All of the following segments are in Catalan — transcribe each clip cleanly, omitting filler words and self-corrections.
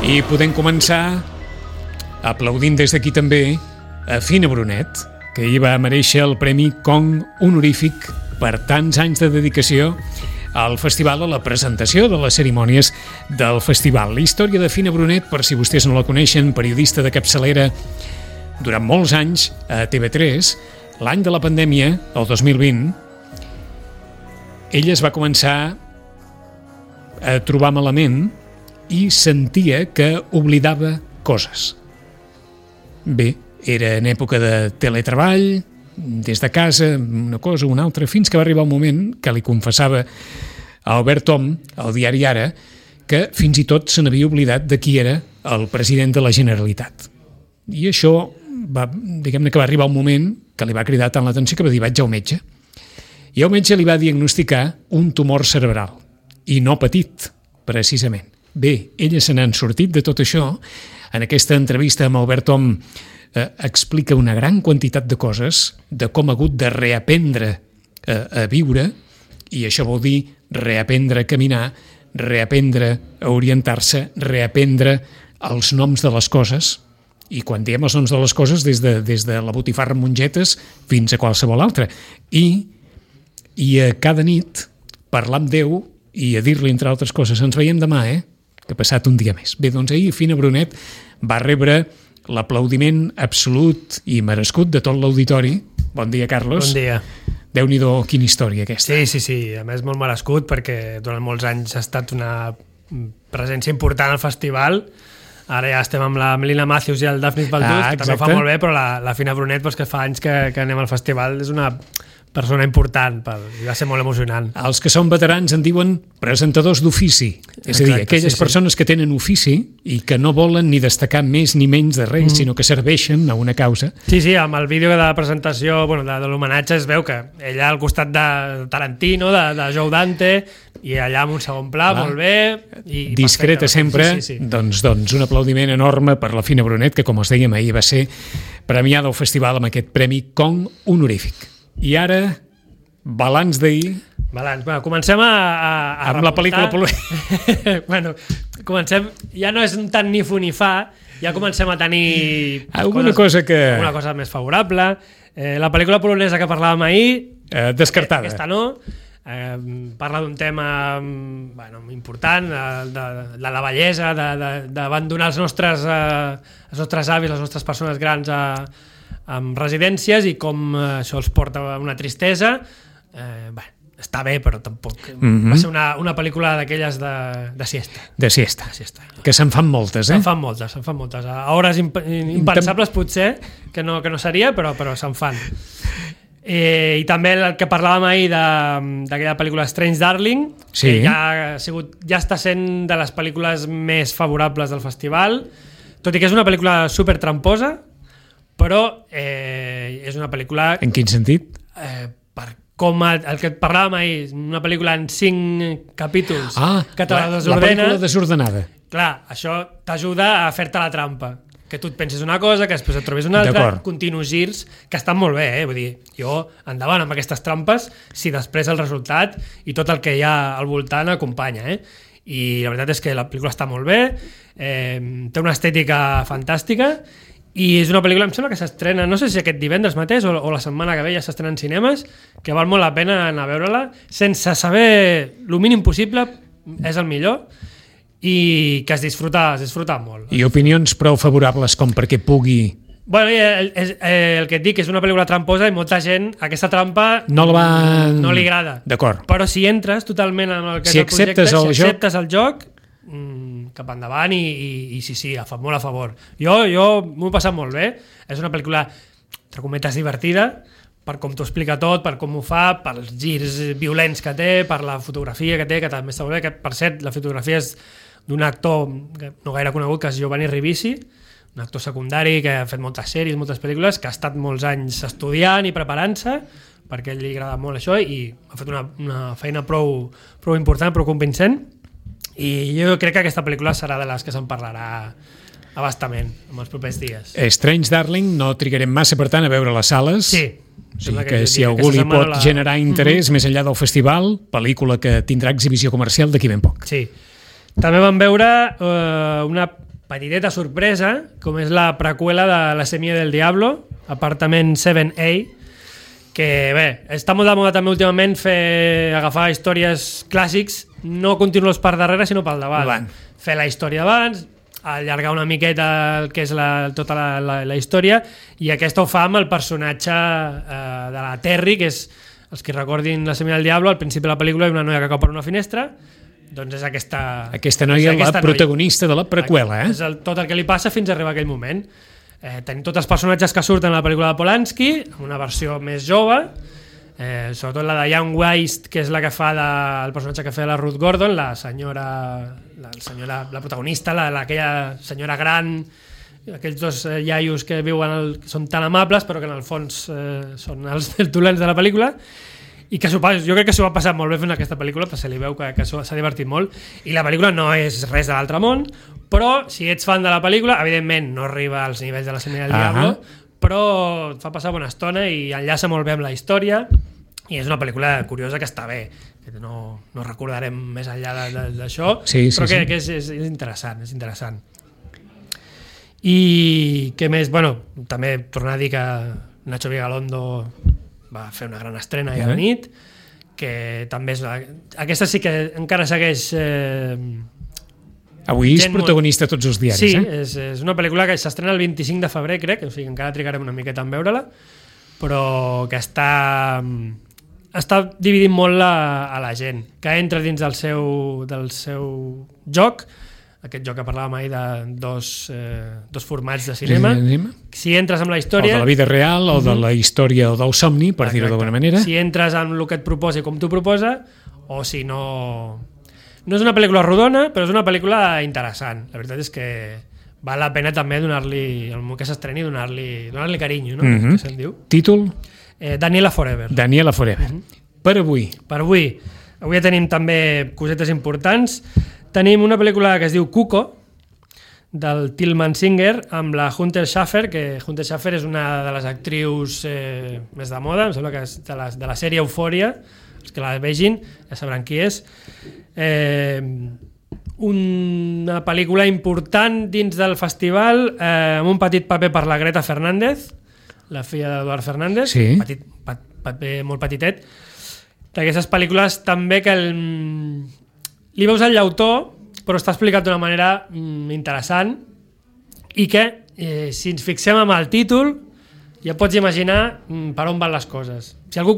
I podem començar aplaudint des d'aquí també a Fina Brunet, que ahir va merèixer el Premi Kong honorífic per tants anys de dedicació al festival, a la presentació de les cerimònies del festival. La història de Fina Brunet, per si vostès no la coneixen, periodista de capçalera durant molts anys a TV3, l'any de la pandèmia, el 2020, ella es va començar a trobar malament i sentia que oblidava coses. Bé, era en època de teletreball, des de casa, una cosa o una altra, fins que va arribar un moment que li confessava a Albert Tom, al diari Ara, que fins i tot se n'havia oblidat de qui era el president de la Generalitat. I això diguem-ne que va arribar un moment que li va cridar tant l'atenció que va dir vaig al metge. I el metge li va diagnosticar un tumor cerebral, i no petit, precisament. Bé, ella se n'han sortit de tot això. En aquesta entrevista amb Albert Tom explica una gran quantitat de coses, de com ha hagut de reaprendre a viure, i això vol dir reaprendre a caminar, reaprendre a orientar-se, reaprendre els noms de les coses, i quan diem els noms de les coses des de la botifarra amb mongetes fins a qualsevol altra. I a cada nit parlar amb Déu i a dir-li, entre altres coses, ens veiem demà, que ha passat un dia més. Bé, doncs ahir Fina Brunet va rebre l'aplaudiment absolut i merescut de tot l'auditori. Bon dia, Carlos. Bon dia. Déu-n'hi-do, quina història aquesta. Sí, a més molt merescut perquè durant molts anys ha estat una presència important al festival. Ara ja estem amb la Melina Matthews i el Daphnis Balduz, que també ho fa molt bé, però la Fina Brunet, que fa anys que anem al festival, és una persona important, i va ser molt emocionant. Els que són veterans en diuen presentadors d'ofici, és a dir, aquelles persones que tenen ofici i que no volen ni destacar més ni menys de res, sinó que serveixen a una causa. Sí, amb el vídeo de la presentació, de l'homenatge, es veu que ella al costat de Tarantino, de Joe Dante, i allà amb un segon pla, molt bé. Discreta sempre, doncs un aplaudiment enorme per la Fina Brunet, que com us dèiem ahir va ser premiada al festival amb aquest Premi Kong honorífic. I ara, balanç d'ahir. Comencem amb la pel·lícula polonesa. Comencem, ja no és tant ni fu ni fa, ja comencem a tenir alguna cosa més favorable. La pel·lícula polonesa que parlàvem ahir, descartada. Aquesta no. Parla d'un tema important, de la bellesa, d'abandonar els nostres avis, les nostres persones grans amb residències i com això els porta a una tristesa. Està bé, però tampoc. Va ser una pel·lícula d'aquelles de siesta. De siesta. Que se'n fan moltes, Se'n fan moltes. A hores impensables potser, que no seria, però se'n fan. I també el que parlàvem ahir d'aquella pel·lícula Strange Darling, que ja està sent de les pel·lícules més favorables del festival, tot i que és una pel·lícula super tramposa, però és una pel·lícula... En quin sentit? Com el que parlàvem ahir, una pel·lícula en 5 capítols que te la desordena. La pel·lícula desordenada. Clar, això t'ajuda a fer-te la trampa. Que tu et penses una cosa, que després et trobis una altra, continus girs, que estan molt bé, vull dir, jo endavant amb aquestes trampes, si després el resultat i tot el que hi ha al voltant acompanya, I la veritat és que la pel·lícula està molt bé, té una estètica fantàstica, i és una pel·lícula, em sembla que s'estrena, no sé si aquest divendres mateix o la setmana que ve ja s'estrena en cinemes, que val molt la pena anar a veure-la, sense saber el mínim possible, és el millor, i que es disfruta molt. I opinions prou favorables com perquè pugui... El que et dic és una pel·lícula tramposa i molta gent aquesta trampa no li agrada. D'acord. Però si entres totalment en el que és el projecte, si acceptes el joc, cap endavant i sí, molt a favor. Jo m'ho he passat molt bé. És una pel·lícula, entre cometes, divertida, per com t'ho explica tot, per com ho fa, pels girs violents que té, per la fotografia que té, que també està molt bé, que per cert, la fotografia és d'un actor no gaire conegut, que és Giovanni Ribisi, un actor secundari que ha fet moltes sèries, moltes pel·lícules, que ha estat molts anys estudiant i preparant-se, perquè a ell li agrada molt això, i ha fet una feina prou important, prou convincent, i jo crec que aquesta pel·lícula serà de les que se'n parlarà abastament en els propers dies. Strange Darling no trigarem massa, per tant, a veure les sales. Sí. O sigui que si algú li pot generar interès més enllà del festival, pel·lícula que tindrà exhibició comercial d'aquí ben poc. Sí. També vam veure una petiteta sorpresa, com és la preqüela de La Semilla del Diablo, Apartament 7A, que bé, està molt de moda també últimament agafar històries clàssics, no continuar-los per darrere, sinó pel davant. Fer la història abans, allargar una miqueta el que és tota la història, i aquesta ho fa amb el personatge de la Terry, que és, els que recordin La Semilla del Diablo, al principi de la pel·lícula hi ha una noia que cau per una finestra, doncs és aquesta noia, la protagonista de la preqüela. És tot el que li passa fins a arribar a aquell moment. Tenim tots els personatges que surten a la pel·lícula de Polanski, amb una versió més jove, sobretot la de Young Waste, que és la que fa el personatge que feia la Ruth Gordon, la protagonista, aquella senyora gran, aquells dos iaios que viuen són tan amables però que en el fons són els dolents de la pel·lícula, i que jo crec que s'ho va passar molt bé fent aquesta pel·lícula, perquè se li veu que s'ha divertit molt, i la pel·lícula no és res de l'altre món, però si ets fan de la pel·lícula, evidentment no arriba als nivells de La Semilla del Diablo, però et fa passar bona estona i enllaça molt bé amb la història, i és una pel·lícula curiosa que està bé, que no recordarem més enllà d'això, però que és interessant, és interessant. I què més? Bueno, també tornar a dir que Nacho Vigalondo va fer una gran estrena ahir a la nit, que també és... Aquesta sí que encara segueix... Avui és protagonista a tots els diaris. Sí, és una pel·lícula que s'estrena el 25 de febrer, crec, o sigui, encara trigarem una miqueta en veure-la, però que està dividint molt a la gent, que entra dins del seu joc, aquest joc que parlàvem ahir de dos formats de cinema. Si entres amb la història... O de la vida real, o de la història, o del somni, per dir-ho d'alguna manera. Si entres amb el que et proposa i com t'ho proposa, o si no... No és una pel·lícula rodona, però és una pel·lícula interessant. La veritat és que val la pena també donar-li, el moment que s'estreni, donar-li carinyo, no? Que se'n diu. Títol? Daniela Forever. Daniela Forever. Per avui. Avui tenim també cosetes importants. Tenim una pel·lícula que es diu Cuco, del Tillman Singer, amb la Hunter Schafer, que Hunter Schafer és una de les actrius més de moda, em sembla que és de la sèrie Euphoria, els que la vegin ja sabran qui és. Una pel·lícula important dins del festival, amb un petit paper per la Greta Fernández, la filla d'Eduard Fernández, paper molt petitet, d'aquestes pel·lícules també que li veus el llautó, però està explicat d'una manera interessant, i que si ens fixem en el títol ja pots imaginar per on van les coses. Si algú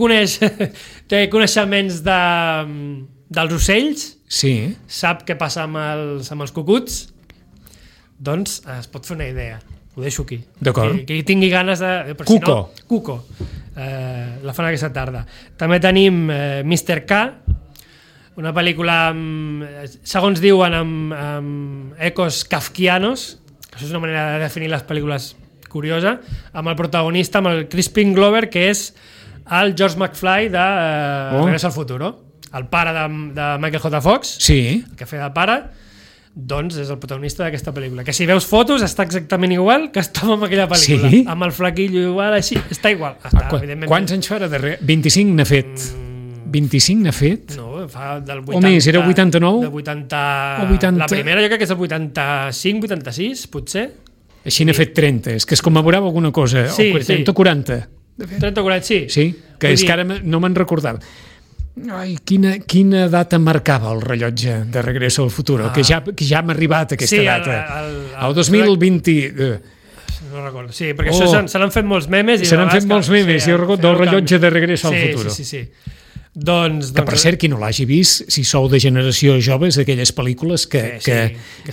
té coneixements dels ocells, sap què passa amb els cucuts, doncs es pot fer una idea. Ho deixo aquí. D'acord. Qui tingui ganes de... Cuco. Cuco. La fan aquesta tarda. També tenim Mr. K, una pel·lícula, segons diuen, amb ecos kafkianos, que això és una manera de definir les pel·lícules curiosa, amb el protagonista, amb el Crispin Glover, que és el George McFly de Regreso al Futuro, el pare de Michael J. Fox, que feia de pare, doncs és el protagonista d'aquesta pel·lícula, que si veus fotos està exactament igual que estava en aquella pel·lícula, amb el flaquillo igual, així, està igual. Quants anys farà darrere? 25 n'ha fet. 25 n'ha fet? No, fa del 80... O més, era 89? Del 80... La primera jo crec que és el 85, 86, potser. Així n'ha fet 30, és que es commemorava alguna cosa, o 30 o 40. 30 o 40, sí. Sí, que és que ara no me'n recordava. Ai, quina data marcava el rellotge de Regreso al Futuro, que ja hem arribat a aquesta data. El 2020... No recordo, sí, perquè això se n'han fet molts memes. Se n'han fet molts memes, jo recordo del rellotge de Regreso al Futuro. Sí. Doncs, que per cert, qui no l'hagi vist, si sou de generació joves, aquelles pel·lícules que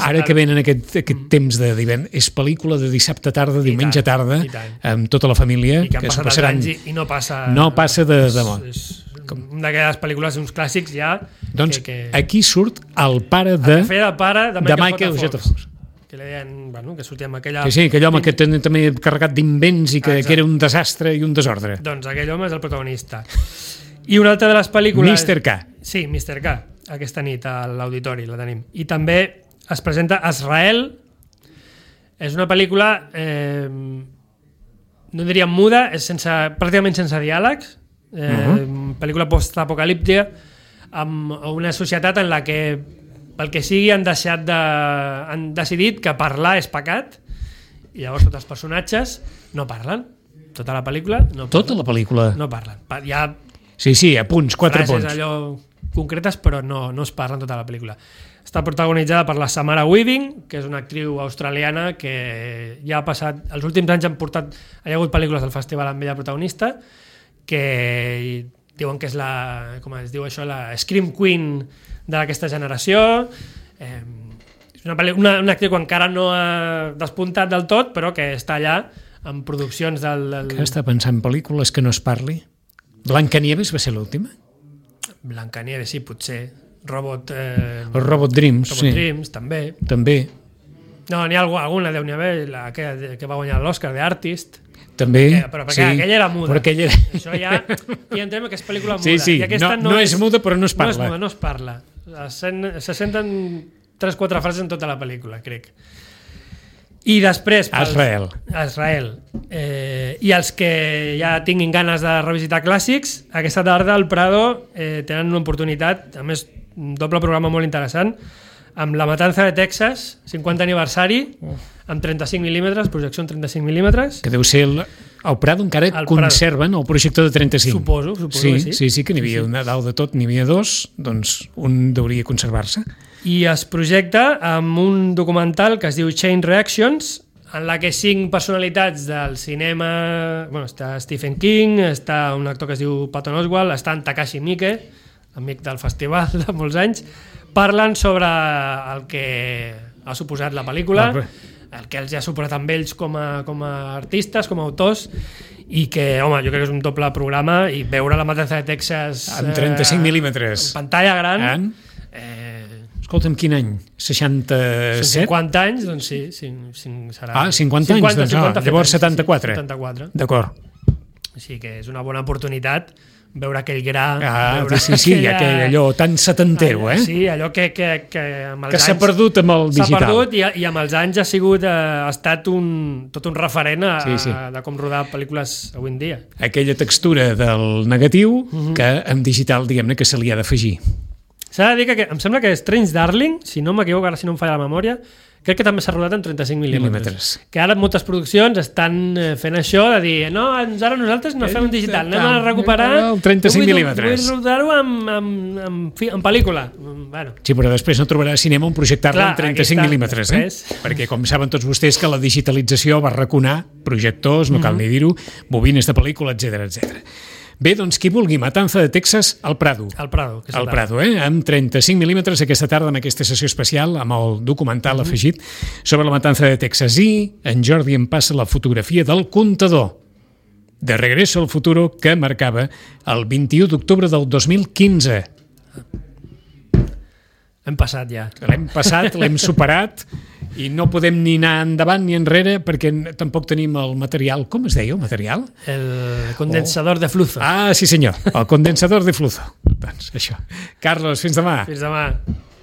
ara que venen aquest temps de divendres, és pel·lícula de dissabte tarda, diumenge tarda, amb tota la família, que s'ho passaran i no passa de món. Una d'aquelles pel·lícules, uns clàssics ja... Doncs aquí surt el pare de Michael J. Fox. Que li deien, que sortia amb aquella... Sí, aquell home que també carregat d'invents i que era un desastre i un desordre. Doncs aquell home és el protagonista. I una altra de les pel·lícules... Mr. K. Sí, Mr. K. Aquesta nit a l'auditori la tenim. I també es presenta Azrael. És una pel·lícula, no diríem muda, és pràcticament sense diàlegs. Pel·lícula post-apocalíptica, amb una societat en la que pel que sigui han decidit que parlar és pecat i llavors tots els personatges no parlen. Tota la pel·lícula no parlen. Tota la pel·lícula? No parlen. Hi ha sí, a punts, 4 punts. Frases allò concretes, però no es parlen tota la pel·lícula. Està protagonitzada per la Samara Weaving, que és una actriu australiana que ja ha passat... Els últims anys hi ha hagut pel·lícules del festival amb ella protagonista, que diuen que és la... Com es diu això? La Scream Queen d'aquesta generació. És una actriu que encara no ha despuntat del tot, però que està allà en produccions del... Que està pensant en pel·lícules que no es parli? Blancanieves va ser l'última? Blancanieves, sí, potser. Robot Dreams, sí. Dreams, també. No, n'hi ha alguna, deu n'hi haver, la que va guanyar l'Oscar d'Artist. També, però perquè aquella era muda. Però aquella... Això ja entrem que és pel·lícula muda. Sí, I aquesta no és muda, però no es parla. No es parla. Se senten 3-4 frases en tota la pel·lícula, crec. I després... Israel. I els que ja tinguin ganes de revisitar clàssics, aquesta tarda al Prado tenen una oportunitat, a més, un doble programa molt interessant, amb La Matanza de Texas, 50 aniversari, amb 35 mil·límetres, projecció en 35 mil·límetres. Que deu ser el Prado encara conserven el projector de 35. Suposo que sí. Sí, que n'hi havia una dalt de tot, n'hi havia dos, doncs un deuria conservar-se. I es projecta amb un documental que es diu Chain Reactions, en la que 5 personalitats del cinema... Bueno, està Stephen King, està un actor que es diu Patton Oswalt, està en Takashi Miike, amic del festival de molts anys, parlen sobre el que ha suposat la pel·lícula, el que els ha suposat amb ells com a artistes, com a autors, i que, home, jo crec que és un doble programa, i veure La Matanza de Texas... Amb 35 mil·límetres. En pantalla gran... Escolta'm, quin any? 67? 50 anys, doncs sí serà... 50 anys, doncs no, llavors 74. 74. D'acord. Sí, que és una bona oportunitat veure aquell gra... Sí, allò tan setantero, Sí, allò que amb els anys... Que s'ha perdut amb el digital. S'ha perdut i amb els anys ha estat tot un referent de com rodar pel·lícules avui en dia. Aquella textura del negatiu que amb digital, diguem-ne, que se li ha d'afegir. S'ha de dir que em sembla que Strange Darling, si no m'equivoco, ara si no em falla la memòria, crec que també s'ha rodat en 35 mil·límetres. Que ara moltes produccions estan fent això de dir, no, ara nosaltres no fem un digital, anem a recuperar el 35 mil·límetres. Vull rodar-ho en pel·lícula. Bueno. Sí, però després no trobarà cinema on projectar-la en 35 mil·límetres, perquè com saben tots vostès que la digitalització va arraconar projectors, no cal ni dir-ho, bobines de pel·lícula, etc. Bé, doncs qui vulgui, Matanza de Texas al Prado. Al Prado, amb 35 mil·límetres aquesta tarda en aquesta sessió especial amb el documental afegit sobre la Matanza de Texas. I en Jordi em passa la fotografia del comptador de Regreso al Futuro que marcava el 21 d'octubre del 2015. Hem passat ja. L'hem passat, l'hem superat i no podem ni anar endavant ni enrere perquè tampoc tenim el material. Com es deia el material? El condensador de flujo. Sí senyor, el condensador de flujo. Doncs això. Carlos, fins demà. Fins demà.